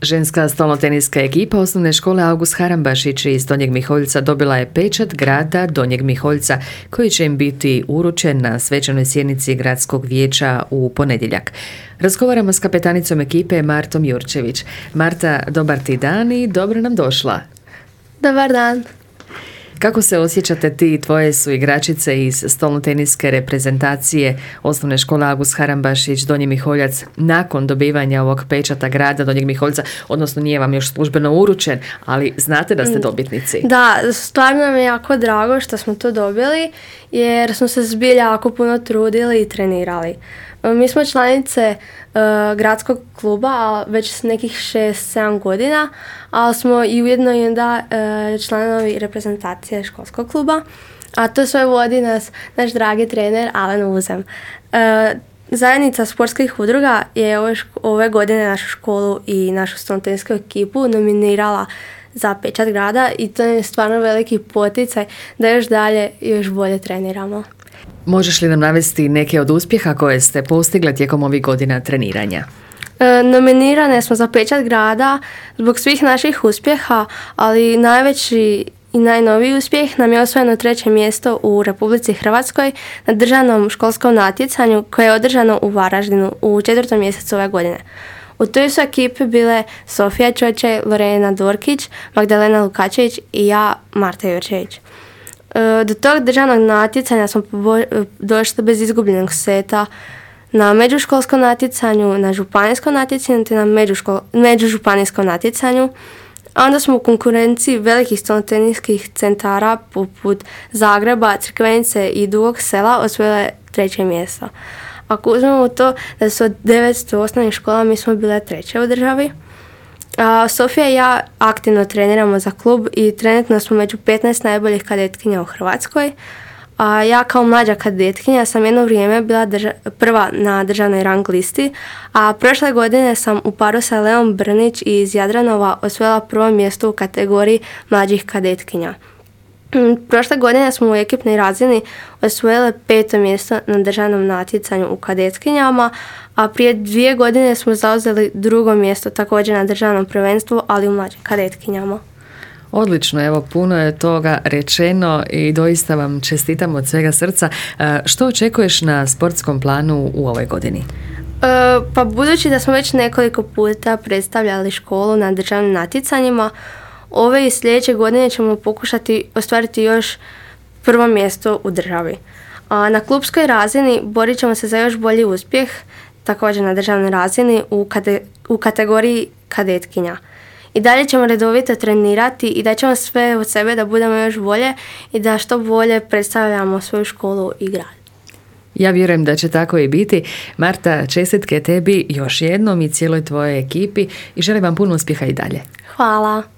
Ženska stolnoteniska ekipa osnovne škole August Harambašić iz Donjeg Miholjca dobila je pečat grada Donjeg Miholjca koji će im biti uručen na svečanoj sjednici gradskog vijeća u ponedjeljak. Razgovaramo s kapetanicom ekipe Martom Jurčević. Marta, dobar ti dan i dobro nam došla. Dobar dan. Kako se osjećate ti i tvoje su igračice iz stolnoteniske reprezentacije osnovne škole August Harambašić Donji Miholjac nakon dobivanja ovog pečata grada Donjeg Miholjca, odnosno nije vam još službeno uručen, ali znate da ste dobitnici? Da, stvarno nam je jako drago što smo to dobili jer smo se zbilja jako puno trudili i trenirali. Mi smo članice gradskog kluba već nekih 6-7 godina, ali smo i ujedno i onda članovi reprezentacije školskog kluba, a to sve vodi nas naš dragi trener Alen Uzem. Zajednica sportskih udruga je ove godine našu školu i našu stolnoteninsku ekipu nominirala za pečat grada i to je stvarno veliki poticaj da još dalje i još bolje treniramo. Možeš li nam navesti neke od uspjeha koje ste postigle tijekom ovih godina treniranja? Nominirane smo za pečat grada zbog svih naših uspjeha, ali najveći i najnoviji uspjeh nam je osvojeno 3. mjesto u Republici Hrvatskoj na državnom školskom natjecanju koje je održano u Varaždinu u 4. mjesecu ove godine. U toj su ekipi bile Sofija Čočaj, Lorena Dorkić, Magdalena Lukačević i ja, Marta Jurčević. Do tog državnog natjecanja smo došli bez izgubljenog seta na međuškolskom natjecanju, na županijskom natjecanju te na međužupanijskom natjecanju. A onda smo u konkurenciji velikih stolnoteniskih centara poput Zagreba, Crikvenice i Dugog Sela osvojile 3. mjesto. Ako uzmemo to da su od 900 osnovnih škola mi smo bile 3. u državi. Sofija i ja aktivno treniramo za klub i trenutno smo među 15 najboljih kadetkinja u Hrvatskoj. Ja kao mlađa kadetkinja sam jedno vrijeme bila prva na državnoj rang listi, a prošle godine sam u paru sa Leom Brnić iz Jadranova osvojila 1. mjesto u kategoriji mlađih kadetkinja. Prošle godine smo u ekipnoj razini osvojile 5. mjesto na državnom natjecanju u kadetkinjama, a prije 2 godine smo zauzeli 2. mjesto također na državnom prvenstvu, ali u mlađim kadetkinjama. Odlično, evo puno je toga rečeno i doista vam čestitam od svega srca. Što očekuješ na sportskom planu u ovoj godini? Pa budući da smo već nekoliko puta predstavljali školu na državnim natjecanjima, ove i sljedeće godine ćemo pokušati ostvariti još 1. mjesto u državi. Na klubskoj razini borit ćemo se za još bolji uspjeh, također na državnoj razini u kategoriji kadetkinja. I dalje ćemo redovito trenirati i da ćemo sve od sebe da budemo još bolje i da što bolje predstavljamo svoju školu i grad. Ja vjerujem da će tako i biti. Marta, čestitke tebi još jednom i cijeloj tvojoj ekipi i želim vam puno uspjeha i dalje. Hvala.